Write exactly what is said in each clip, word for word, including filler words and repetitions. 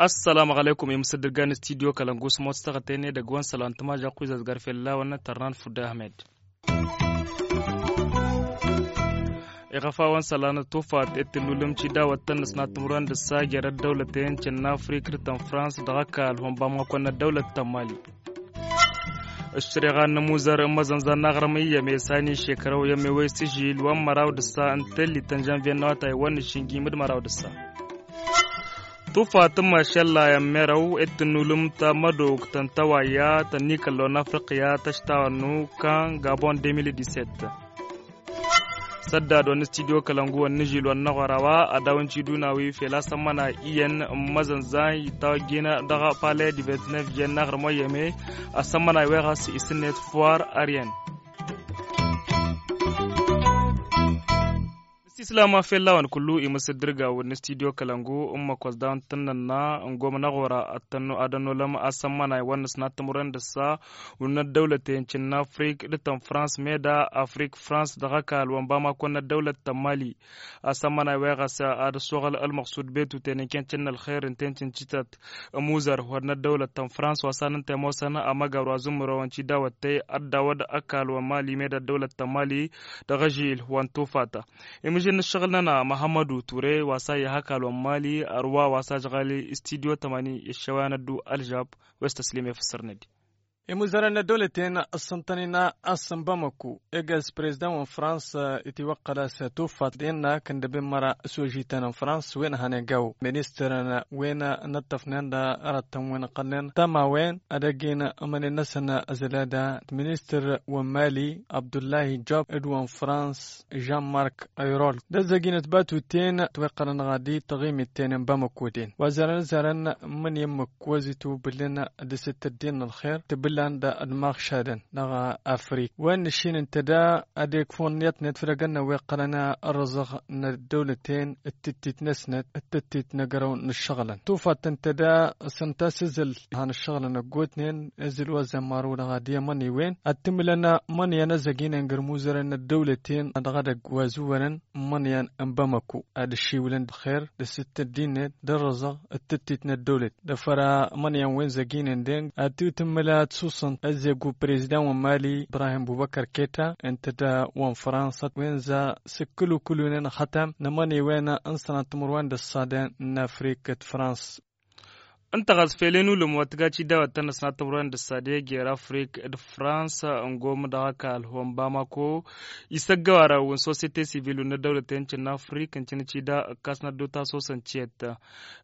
Assalamu aleykum i-mǝsǝddǝrgan studio kălăngu s-mot s-tăɣătăyne dăgg-wăn sălan tǝmažaqq wi zazgar fella wăn tărnan fudda ahmed. Iɣăf a-wăn sălan tufat i-tǝllulǝm cidawăt tăn-năsnat timǝrwen dăɣ-s a jer-ăddăwlăten cǝnna afrik d-tăn-frans dăɣ-ăkall wăn bamăkon n-ăddăwlăt tăn-mali. Ǝššăreɣa n-amuzăr n-imăzănzan n-aɣrǝm iyyăm i-sani šekrăw iyyăm i-wăy s-ižil wăn măraw d-ǝssa n-tellit n-žănvyen n-awătay wăn n-išǝnjim d-măraw d-ǝssa. Tufat n-mašălla i-ămmerăw i-tǝnnulǝm ta mădok tăn-tăwayya tăn-ikăllon n-afriqya tăštawănnu kan gabon deux mille dix-sept. Săddad wăn n-studio kălăngu wăn n-ižil wăn n-aɣora wa ad-dawăn ciduna wi fel asămmăna iyyăn n-imăzănzan itawăjjin dăɣ-palais du vingt-neuf jănn n-aɣrǝm wa iyyăme asămmăna iweɣas isǝnnet foir aryen. Nǝsislam a fellawăn kullu imǝsǝddǝrgaw n-studio kălăngu n-măkos daw n-tǝnnănna n-gomna ɣora ad-tănnu ad-ănnolăm asămmănay wăn nǝsnat timǝrwen dăɣ-s a wǝnnăt dăwlăten cǝnna afrik d-tăn-frans meda afrik frans dăɣ-ăkall wăn bamako n-ăddăwlăt tăn-mali. Asămmănay wa iɣăs ad-ăssoɣăl ălmăqsud betuten n-ken cǝnna ălxer ǝnta i-n cǝncǝtăt ămuzăr wăr n-ăddăwlăt tăn-frans wa s-ad-nǝnta i-ămoosăn amăgar wa zǝmmărăwăn cidawăt tey ad-dawăd ăkall wăn mali meda ăddăwlăt tăn-mali dăɣ-ažil wăn tufata. Imǝžǝn n-ǝššăɣǝl-nănăɣ măhămmădu ture wa s-a iha ăkall wăn mali ărwa wa s-ažɣal i-studyo tămani i-ăššăwăyăn ăddu ălžab. Wa s-tăslim i-fǝssărnăd. Imuzărăn n-ăddăwlăten ǝssǝntăn-in a-s n-bamăku egaz prezidăn wa n-frans itiwăqqăl a-s tufat d-innă kăndăben măra s-ožităn n-frans wen hănen gaw ministăr wen n-ăṭṭăfnen d-arăttăn wen ăqqălnen tămawen ad-ăgg-in ămănen-năsăn ăzălada d-ministăr wa n-mali abdullahi job d-wa n-frans žan mark ayrol d-ăzzăginăt batuten tiweqqălăn ɣadi tăɣimit tenen bamăkuden wa zărăn zărăn mǝnyen măkk wăzitubǝlăn d-asǝttăddin n-ălxer tǝbǝllan d-maɣšadăn dăɣ-afrik wen n-ašin n-tăda ad-ekfun yătnet făll-egănna weqqălăn ărrăẓăɣ n-ăddăwlăten d-tǝttit-năsnăt d-tǝttit n-agărăw n-ǝššăɣlăn tufattăn tăda s-ǝnta s-ǝzǝl han ǝššăɣlăn ăggootnen ǝzǝl wa zămmaru dăɣ-ad-i ămăniwen ad-tǝmǝlăn mănyan ăzzăginen găr muzărăn n-ăddăwlăten dăɣ-edăgg wa ăzǝwwărăn n-imănyan n-bamăku ad-ǝššiwǝlăn d-ălxer d-asǝttăddin-net d-ărrăẓăɣ d-tǝttit n-ăddăwlăt dăɣ-făra imănyan wen zăginen deng ad-t-tǝmmǝl ad-susăn ăzzegu prezidăn wa n-mali ibrahim bubăkăr keta ǝnta d-wa n-fărănsa wen za s-ǝkkǝlukǝlunen ăxătam n-imăniwen n-sănat timǝrwen d-ăṣṣadăn n-afrik d-fărăns. Ǝnta ɣas fel i-nulǝm wa tǝga cidawăt tăn-ăsnat timǝrwen d-ăṣṣadăn i-jer afrik d-fărăns ǝngom dăɣ-ăkall wa n-bamako isăggăwarăw n-sosyete sivil wa n-ăddăwlăten cǝnna afrik ǝncǝn cida ǝkkas n-ădduta s-osăn ciyăt.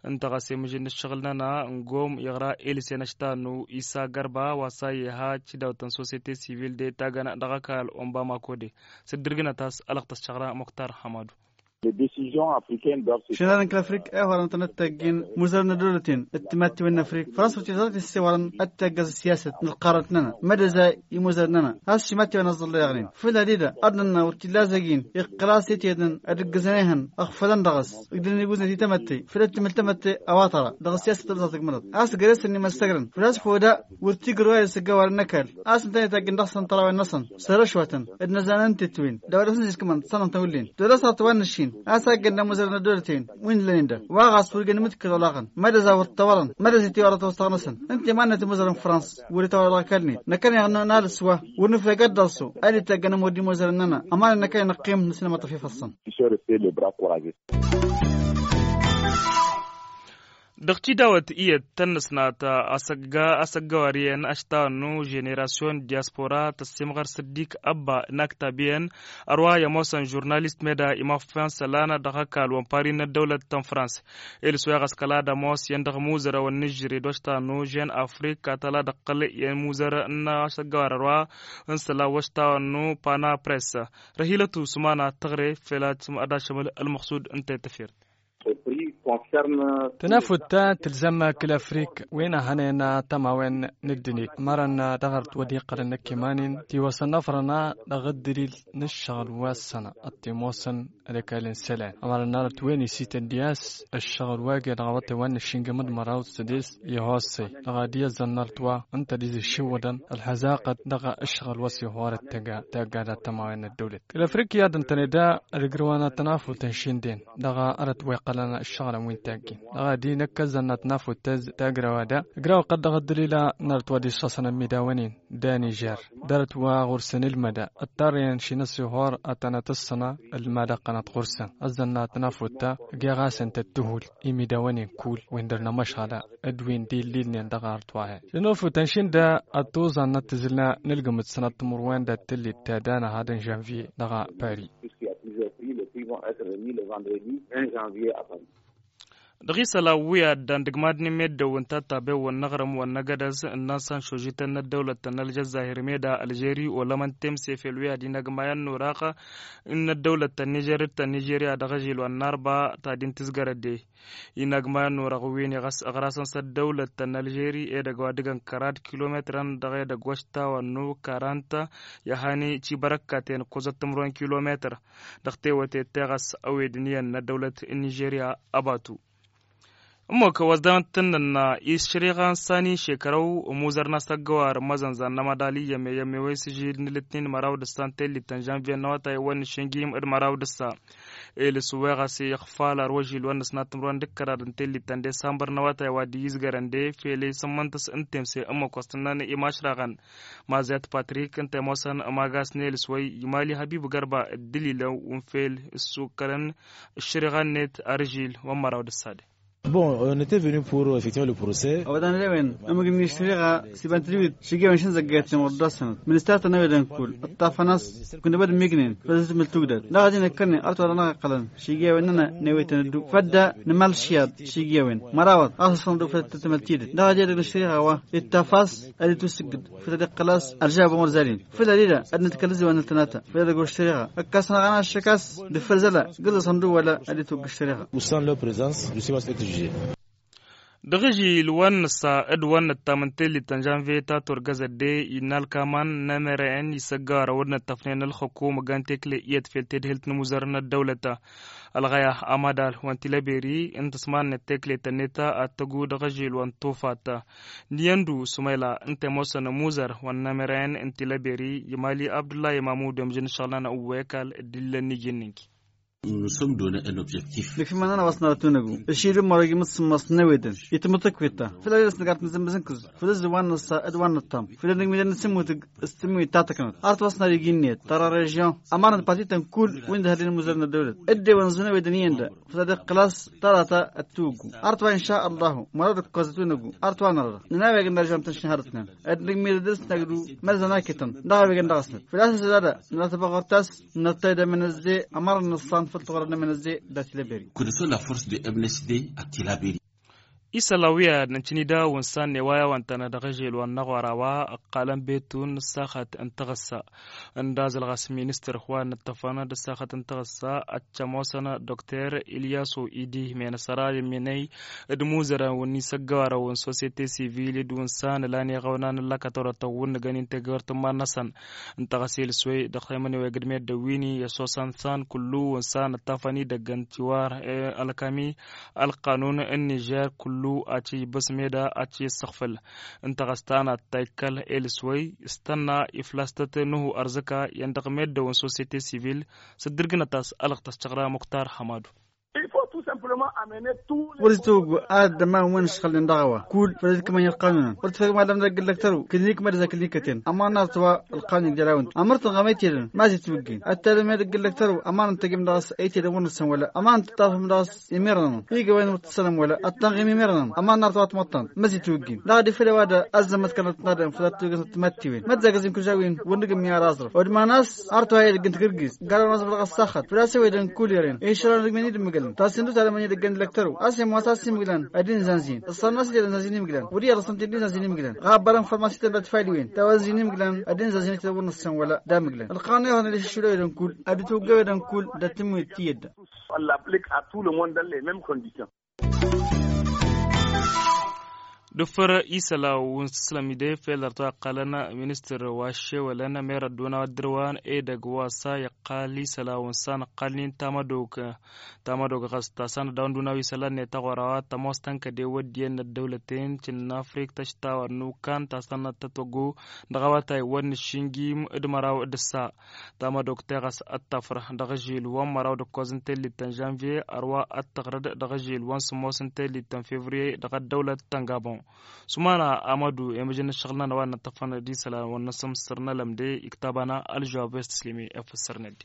Ǝnta ɣas i-mǝžǝn n-ǝššăɣǝl-nănăɣ ǝngom iɣra elsen ăštanu isa gărba wa s-a iha cidawăt n-sosyete sivil de tagăn dăɣ-ăkall wa n-bamako de s-dd-ǝrgǝnăt a-s ălăɣtăs šăɣra muktar hamadu. Šănarăn kăl-afrik a ihorăn tăn-ăttăggin muzărăn n-ăddăwlăten d-timattiwen n-afrik fărănsa wăr t-iẓrăt issewărăn ad-taggăẓ ăssiyasăt n-ălqarăt-nănăɣ mădăza imuzărăn-nănăɣ a-s šimattiwen ăẓẓălleɣnen făl-ad-ida ad-nănna wăr t-illa zăgin iqqăl a-s i-tedăn ad-ǝggǝzăn ehăn ăɣfălăn dăɣ-s ǝgdǝnăn iguznet i-tamătte făl ăttǝmǝl tamătte a-wa tăra dăɣ-ăssiyasăt ălzăɣ tǝgmăḍăt a-s găre-săn imăssăgrăn făl-a-s hoda wăr t-igrǝw a isǝggawar n-ăkall a-s ǝntăneḍ i-taggǝn dăɣ-săn tărawăn-năsăn s-ărăšwătăn d-inăzanăn tetwen d-a-wa dăɣ-săn ziskămăn d-sănăɣ-tăn wǝllen d-wăla s-aɣ tăwannăšin a-s a ǝggăn d-amuzărăn ăddolăten wi n-ǝllănen da wa ɣas wăr găn imǝtkǝl olaɣăn mădăza wăr t-tăwărăn mădăza itawărăt awăssaɣ-năsăn ǝnta i-mannăt imuzărăn frans wăr itawărăt ɣăkallnen năkkăneɣ n-alǝs wa wăr nǝfreg ad-dd-ălsu ad-itaggăn ămud imuzărăn-nănăɣ ămanăn năkkăneɣ năqqim nǝsnămăṭ ăfifăssăn. Dăɣ-tidawăt iyyăt tăn-năsnat asăgga asăggawar iyyăn ašta ănnu ženerasyon diyaspora tăssimɣăr săddik ăbba n-aktab iyyăn ărwa i-ămoosăn žurnalist meda imaffan sălan dăɣ-ăkall wa n-pari n-ăddăwlăt ta n-frans. Ilǝs wa iɣăskăl ad-ămoos iyyăn dăɣ-imuzărăwăn n-ažžăre d-wa ašta ănnu žen afrik katăla dăɣ-tălăy i-imuzăr n-asăggawar ărwa n-sălan wa ašta ănnu pana press. Răhilăt usman ad-tăɣre fel ad-ašămăl ălmăqsud ǝnta i-tăfert. Tănafut ta tǝlzăm kăl-afrik wen a hănen tămawen n-ăddinit ămărăn dăɣ-arăt wăr dd-iqqălăn năkk iman-in tiwăsăn afrăna dăɣ-ăddălil n-ǝššăɣǝl wa s-sănăɣ ăṭṭimosăn. Ălăkal n-isălan ămărăn n-arăt wen isităn d-i-a-s ǝššăɣǝl wa găy dăɣ-awătay wa n-ăššingăm d-măraw d-sădes. Ihosăy dăɣ-ad-iyyăẓăn n-arăt wa ǝnta d-izǝššiwwădăn ălxăzaqăt dăɣ-ǝššăɣǝl wa s-ihorăt tăgga tagga dat-tămawen n-ăddăwlăt kăl-afrik i-ad-ǝntăne da. Ălǝgrǝwăn ad-tăn-afutăn šindin dăɣ-arăt wa iqqălăn ǝššăɣǝlăn wi n-taggin dăɣ-ad-inăkkăzăn ad-tăn-afutăz. Tagrăwa da ǝgrăwăn qăd dăɣ-ăddălila n-arăt wa d-išṣăṣăn ămmidawen-in d-anižer d-arăt wa ɣur-săn ǝlmăda ăṭṭarrăyăn šinăs ihor ad-tăn-ătǝssăna ălmad ăqqănăt ɣur-săn ăzzănna tănafutta. Geɣ-asăn tăttǝhul imidawen-in kull wi n-dăr-nămăšɣăla d-wi n-dd-illilnen dăɣ-arăt wa-hen šinăfutăn šinda. Ăttuẓan n-ăttǝzǝlna n-ǝlgǝm d-sănăt timǝrwen d-ad-tǝllit ta danăhad n-žănvye dăɣ-pari. Dăɣ-isălan wi ad-dd-andǝgmadnen meddǝn wi n-tatabewăn n-aɣrǝm wa n-agădăz ǝnnan s-anšožităn n-ăddăwlăt ta n-ălžăzzahir meda ălžeri olămăn temse fel wi ad-inăgg mayăn n-orăɣ n-ăddăwlăt ta n-nižer d-ta n-nižerya dăɣ-ažil wa n-arba ta din tǝzgărădde. Inăgg mayăn n-orăɣ wi n-iɣăs ăɣrasăn s-ăddăwlăt ta n-ălžeri edăgg wa dăgg-ănkăr ad-kilometrăn dăɣ-edăgg wa s-tawănnu karant i-ahani cibărăkkaten ǝkkoẓăt timǝrwen kilometr. Dăɣ-tewăte teɣăs ăwedǝn iyyăn n-ăddăwlăt n-nižerya ăbatu. Ămmok wa s-dăɣ-tǝnnǝnna išriɣa n-sani šekărăw ămuzăr n-asăggăwar n-imăzănzan n-amăḍal iyyăme iyyăme wa isǝžil n-alǝtnin măraw d-ǝssan tellit ta n-žănvye n-awătay wa n-išǝngim d-măraw d-ǝssa. Elǝs weɣas iɣfal ar wăžil wa n-ăsnat timǝrwen d-ǝkkăraḍ n-tellit ta n-desambăr n-awătay wa dd-iyyǝzgărăn de fele isǝmmăntăs n-temse ămmok wa s-tǝnnăn imašraɣăn. Mazet patrik ǝnta i-ămoosăn ămagas n-elǝs wa i-mali hăbib gărba dd-ǝlilăn wi n-fel ǝssukkălăn ǝššǝriɣa-net arǝžil wa n-măraw d-ăssade. Bon, on était venu pour effectivement le procès. Ăwadăn ălewăn ămǝgǝn n-ǝššǝriɣa s-iba n-tǝdǝwit šǝjewăn šǝnzăggăyăt timǝrḍa s-sănăt ministăr tănăwedăn kull ǝṭṭafăn a-s kunăbăd n-imignen făll-tǝzmǝl tugdăd dăɣ-ad-inăkkănen arăt wa dăɣ-năɣ iqqălăn šǝjewăn-nănăɣ newetăn ădduw fădda n-imalšiyat šǝjewăn mărawăḍ a-s ăṣṣăn ădduw făll-tătmăl tidǝt dăɣ-ad-edăgg n-ǝššăriɣa wa ittaf a-s ad-itwǝssǝggǝd făll-ad-iqqăl a-s ălžabăn wăr zalin făll-ad-ida ad-nǝdkăl ǝzziwăn n-ăltănata făll-edăgg wa ǝššăriɣa ǝkkasăn aɣăna ăššăk a-s d-făll-zăla gǝzzăsăn ădduw wăla ad-itwăgg ǝššăriɣa. Ussan lăprezans du simas etžije. Dăɣ-ažil wa n-nǝssa d-wa n-nǝttam n-tellit ta n-žănvye ta turgăzăt de innă ălkaman n-emeren isăggăwarăn wăr nǝttăfnen ălxukum ăggan tekle iyyăt fel tedhǝlt n-imuzărăn n-ăddăwlăt. Ălɣăya amădal wa n-tilăberi n-tǝsmannet tekle tănneta ad-tăggu dăɣ-ažil wa n-tufat. N-iyyăn du sumayla ǝnta i-ămoosăn ămuzăr wa n-emeren n-tilăberi i-mali abdullahi mamudu i-ămjǝn ǝššăɣǝl-nănăɣ uwwekal. D-illăn n-iji n-inki. Nǝsǝmdon ănobjektif. Dăɣ-fi mănănăɣ wa s-nărăt unăgu ǝššidǝm mărăgi mǝssǝmmăs n-ewedăn itmǝtǝkwiṭṭa făll-ad-ila s-nǝggat nǝzǝmmǝzǝnkǝz făll-ǝzzǝm wa n-năssa d-wa n-nǝṭṭam făll-ad-nǝgmidăn nǝsǝmmutǝg s-tǝmmǝyǝt ta tăknăt arăt wa s-nărăgi ǝnniyăt tăra režion. Ămarăn d-partităn kull wi n-dd-hărden imuzărăn n-ăddăwlăt dd-ewăn ǝzzǝn ewedăn iyyăn da făll-ad-iqqǝl a-s tărata ăttuggu arăt wa inša ăllahu mărăd ǝkkoẓăt unăgu arăt wa nărăɣ nǝnaweg n-arjam tăn-išhărătnen ad-nǝgmidăd s-năgdu mărzăn akităn dăɣ-a-wen dăɣ-asnăt făl-a-s ăzzădadă nărăt ăbăɣ ɣur-tas. Nărtăy d-emănăzze ămărăn nǝṣṣan făll-tuɣrăd n-emănăzze d-atileberid. Kudăsăn la force de emănăzze atileberid. Isălan wi ad-nǝncǝni da wǝnsan n-ewaya wa ǝntănăt dăɣ-ežel wa n-năɣwara wa ǝqqalăn betun n-ăssaxăt n-taɣǝssa. Ǝndazăl ɣas ministăr wa n-ǝttăfăn d-ăssaxăt n-taɣǝssa ăccămosăn dokter ilyasu idi menăsăra d-imminăy d-imuzărăn wǝnni s-ăggăwarăn wǝn sosyete sivil d-wǝnsan ǝlan iɣăwnan n-lăkătorătăn wǝnnǝgăn integăwăr tǝmmar-năsăn. N-taɣăse lǝswăy dăɣ-temăneweg d-meddǝn wi n-iyyăsosăn san kullu wǝnsan ǝttafăn idăgg n-tiwar ălkami ălqanun n-nižer kullu ad-t-ijbǝs meda ad-t-issăɣfǝl. N-taɣăsta n-ad-ta-ikkăl i-lǝswăy s-tănna iflastăt nuhu ărzǝka iyyăn dăɣ-meddǝn wǝn sosyete sivil s-dd-ǝrgǝnăt a-s ălɣ tăscăɣra muktar hamadu. Wăr-itwăggu ad-ămman wi n-ǝšxălnen dăɣ-a-wa kull făll-dd-kǝmăn i-ălqanunăn wăr tǝfăgmălăm dăgg-ǝllăktăru kǝnnikmăd s-akǝnnikăten ămman n-arăt wa ălqanun igdăr-awăn. Ămărtăn ɣăm ăytedăn mazǝy tiwǝggin ad-tadăm i-dăgg-ǝllăktăru ămman ǝntăjăm dăɣ-s ăytedăn wăr nǝssăn wăla ămman tǝṭṭafăm dăɣ-s imărnănăn igawăn wăr tǝssănăm wăla ad-tănɣim imărnănăn ămman n-arăt wa tmăṭṭan mazǝy tiwǝggin dăɣ-ad-ifăl ăwadă ăzzămmăt kănăt n-adăm făll-ad-tǝwǝgǝsnăt timattewin măjjagăz n-kǝlžawen wăr nǝgǝm i-ara aẓrăf odman a-s arăt wa i-dăgg n-tagǝrgǝz. Garăn wa s-bălăɣ ăssaxăt făl-a-s ewedăn kull eren išrăn dăgg-men-i d-ǝmmǝgălăn tasǝndut ad-ămăni dăgg-en d-lăktăru a-s imoos a-s imǝglan ad-inzanzin ăṣṣan n-a-s ed ănzanzin imǝglan wăr iyyăḍ ăṣṣan t-dd-inzanzin imǝglan. Ɣabbărăn făll-ma s-ităbla tfaliwen tawănzin imǝglan ad-inzanzin ităwăr năssăn wăla d-amǝglan ălqanun ihănăn iššǝlăwedăn kull ad-dd-tawăggăwedăn kull d-ad-tǝmmǝyăd tiyyădda. Wălla ăplik ad-tout le monde ănn les memes conditions. Dăffăr isăla wǝnsǝslăm-i de fel ărta ăqqalăn ministăr wa šewălăn merădduna wa dd-dărwan edăgg wa s-a iqqal isăla wǝnsan ăqqalnin tamădog tamădog ɣas ta s-a n-ăddaw n-duna wi isălan n-etăɣora wa tămoos tăn-kăde wăddiyen n-ăddăwlăten cǝnna afrik tăštawăr n-ukan ta s-a n-ăttătwăggo dăɣ-awătay wăr nǝššǝnjim d-măraw d-ǝssa. Tamădog teɣăs ad-tafrăh dăɣ-ažil wa n-măraw d-ǝkkoẓ n-tellit ta n-žănvye ărwa ad-tăɣrăd dăɣ-ažil wa n-sǝmmos n-tellit ta n-fevriye dăɣ-ăddăwlăt ta n-gabon. Sumana amădu i-mǝžăn n-ǝššăɣǝl-nănăɣ wa n-năṭṭăfăn d-isălan wa n-năsǝmsǝr n-ălăm de iktaba-năɣ ălžăwab wa s-tǝslǝm i-efăs săr-nădde.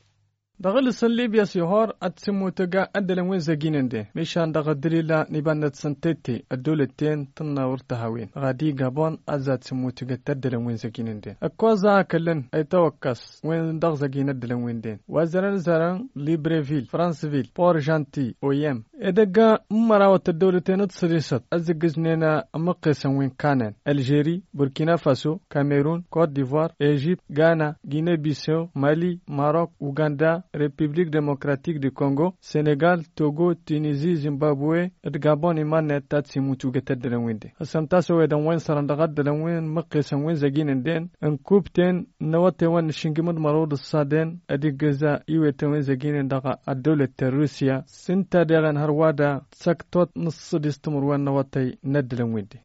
Dăɣ-alǝs n-libya s-ihor ad-t-sǝmmutǝg ăddălăn wi n-zăginǝnden mišan dăɣ-ăddălila n-iba n-năt-săn tette ăddăwlăt-ten tǝnnă wăr t-hawin dăɣ-adi gabon ad-zat-sǝmmutǝgăt ăddălăn wi n-zăginǝnden ǝkkoẓ a ăkălăn ăytawăkkăs wi n-dăɣ-zăgin ăddălăn wi n-den wa zărăn zărăn librevil fransvil port žanti oyem edăgg n-mărawăt ăddăwlăten d-sădisăt ăzzǝggǝznen ămmăqqesăn wi n-kanen ălžeri burkina faso kamerun kot divoir ežipt gana gine bisew mali marok uganda repiblik demokratik di kongo senegal togo tinizi zimbabwe d-gabon iman-net ta t-simutugăt ăddălăn wi n-den ăsămtas ăwedăn wa n-sărăn dăɣ-ăddălăn wi n-măqqesăn wi n-zăgin n-den n-kubten n-awătewăn n-ašǝngǝm d-mărăw d-ǝṣṣaden ad-iggǝza iwetăn wi n-zăginen dăɣ-ăddăwlăt ta n-rusya s-ǝnta deɣen hărwa da săktot n-ǝṣṣădis timǝrwen n-awătăy n-ăddălăn wi n-den.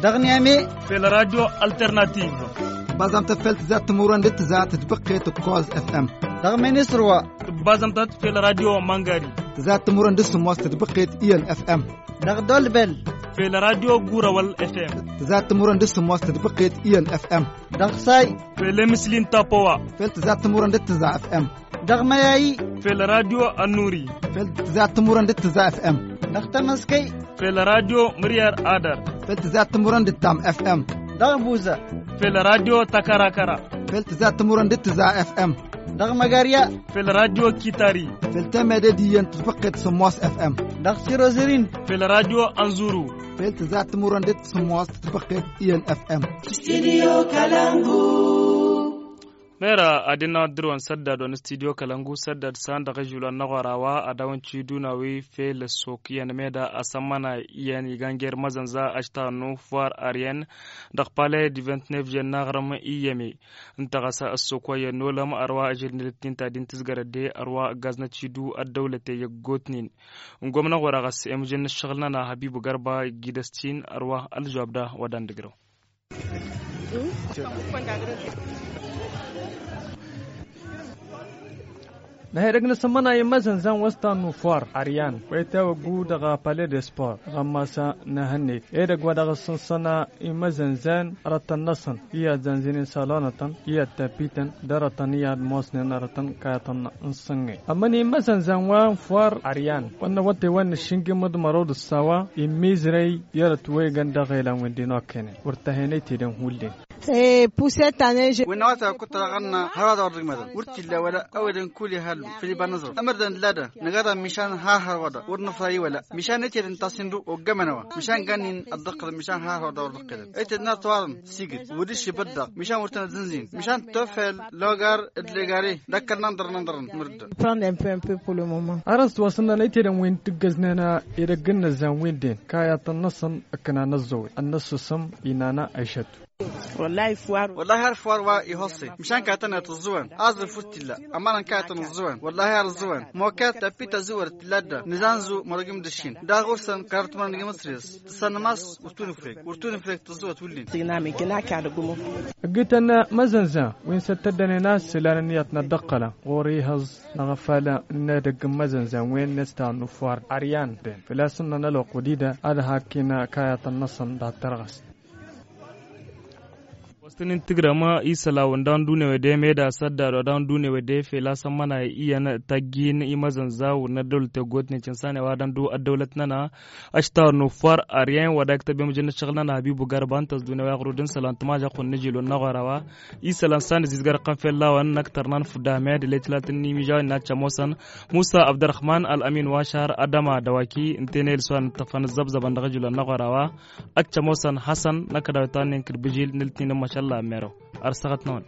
Dăɣ-niyame fel radio alternativ. Tǝbbazamtăt fel tǝzzat timǝrwen d-tǝzzat tǝdbăqqet ǝkkoẓ fm. Dăɣ-minisrwa. Tǝbbazamtăt fel radio mangari. Tǝzzat timǝrwen d-sǝmmos tǝdbăqqet iyyăn fm. Dăɣ-dolbel. Fel radio gurawăl fm. Tǝzzat timǝrwen d-sǝmmos tǝdbăqqet iyyăn fm. Dăɣ-say. Fel emǝsli n-tapowa. Fel tǝzzat timǝrwen d-tǝzza fm. Dăɣ-mayayi. Fel radio ănnuri. Fel tǝzzat timǝrwen d-tǝzza fm. Dăɣ-tamăskăy. Fel radio mǝryar adăr. Fel tǝzzat timǝrwen d-tǝttam fm. Dăɣ-buza. Fel radio tăkărakăra. Fel tǝzzat timǝrwen d-tǝzza fm. Dăɣ-măgarya. Fel radio kitari. Fel temede d-iyyăn tǝdbăqqet sǝmmos fm. Dăɣ-sirozǝrin. Fel radio ănzuru. Fel tǝzzat timǝrwen d-sǝmmos tǝdbăqqet iyyăn fm. Studio kalangu. Mera ad-innă ad-dăr-wăn săddad wa n-studio kălăngu săddad san dăɣ-ažul wa n-aɣora wa ad-dăwăn ciduna wi fel ăssok iyyăn meda asămmăna iyyăn iganjer măzănza ašta n-ufwar aryen dăɣ-pale d-vint-nef jen n-aɣrǝm iyyăme. Ǝnta ɣas ăssok wa iyyăn n-olăm ărwa ažil n-elăttin ta din tǝzgărăt de ărwa ǝggaz n-ăcidu ăddăwlăte i-ăggootnen. N-gomna ɣur-a ɣas emǝjăn n-ǝššăɣǝl-nănăɣ habibu garba igidăs-tin ărwa ălžwab da wa dan-dǝgrăw. Năhedăg n-asămmăna i-imăzănzan wa s-ta n-ufar aryan wa itawăggu dăɣ-pale de sport dăɣ-amasa n-ahănneg edăgg wa dăɣ-s n-săna imăzănzan arătăn-năsăn i-ad-zanzǝnen salonătăn i-ad-tapităn d-arătăn i-ad-mosnen arătăn kayătăn n-sǝnge. Ămmăni imăzănzan wa n-far aryan wa n-awătay wa n-ašǝngǝm d-mărăw d-ăssawa immizrăy i-arăt wa iggăn dăɣ-elan-wen-din okăynen wăr tăhenăy tedăn hullen. Wi n-awătay wa kuttăr aɣănna hărwa d-awăr dăgg-medăn wăr t-illa wăla ăwedăn kull ihallu făll-iba n-aẓrăw ămărdăn dd-ladăn năgadăn mišan har hărwa da wăr nǝfra i-wăla mišan ăytedăn tasǝndu oggămăn a-wa mišan ganin ăddăqqălăn mišan har hărwa da wăr dăqqelăn ăytedăn ar tăwarăn sigǝd wăr dd-išibăt daɣ mišan wăr tăn-ăzzǝnzin mišan tofel logar d-legare d-akkăl n-andăr n-andăr n-timǝrǝddăn. Arăst wa s-ǝnnăn ăytedăn wi n-tǝggăznen edăgg n-inǝzzan wi n-den kayătăn-năsăn ǝknan ăẓẓăwăy ănnăssăsăm inana ăyšăt. Wăllahi har far wa ihosse mišan kayătăn-net ǝẓẓǝwăn aẓrǝf wăr t-illa ămanăn kayătăn ǝẓẓǝwăn wăllahi har ǝẓẓǝwăn mokat tapit ăzǝwăr t-illa-dd nǝzanzu mărăgim d-ǝššin daɣ ɣur-săn karăt mărăgim ǝsres tǝsăn mas wăr tunǝfrek wăr tunǝfrek tǝẓẓǝwăt wǝllen. Ǝggǝtăn măzănzan wi n-săt-tăddănen a ăssălan ǝnniyăt n-ăddăqqălăn ɣur-ihăẓ n-aɣăfal n-edăgg n-imăzănzan wen n-ăsta n-ufwar aryan den făl-a-s ǝnnăn ălwăqq wădida ad-hakken kayătăn-năsăn dăɣ-tărɣăst. Wăstăn-in tǝgrăm isălan wa n-dăɣ-n dunewede meda săddad wa dăɣ-n dunewede fel-a-s ămmănay iyyăn tăjjin imăzănza wăr n-ăddăwlăt tăggootnen cǝnsan i-wa dăɣ-n du ăddăwlăt-nănăɣ. Ăštawăr n-ufwar aryen wa dayk tăbem jăn n-ašăɣǝl-nănăɣ habibu garba ǝnta s-dunewăy aɣrud n-isălan tǝmažăɣ kunna žil wa n-aɣora wa isălan s-an ăzizgărăɣ-tăn fell-a-wen n-ăktăr n-anfud ahmed letlat n-imǝžawen n-ad-cămoosăn musa abdărrăhman ălămin wa šar adăma dăwaki ǝnta-en elǝs wa n-ǝṭṭăfăn ǝzzăbzăbăn dăɣ-ajǝl wa n-aɣora wa ad-cămoosăn hasăn n-akădaw i-tannen kăl-bǝžil n-ǝltnin n-mašalla ămmerăw. Ar săɣăt-năwăn.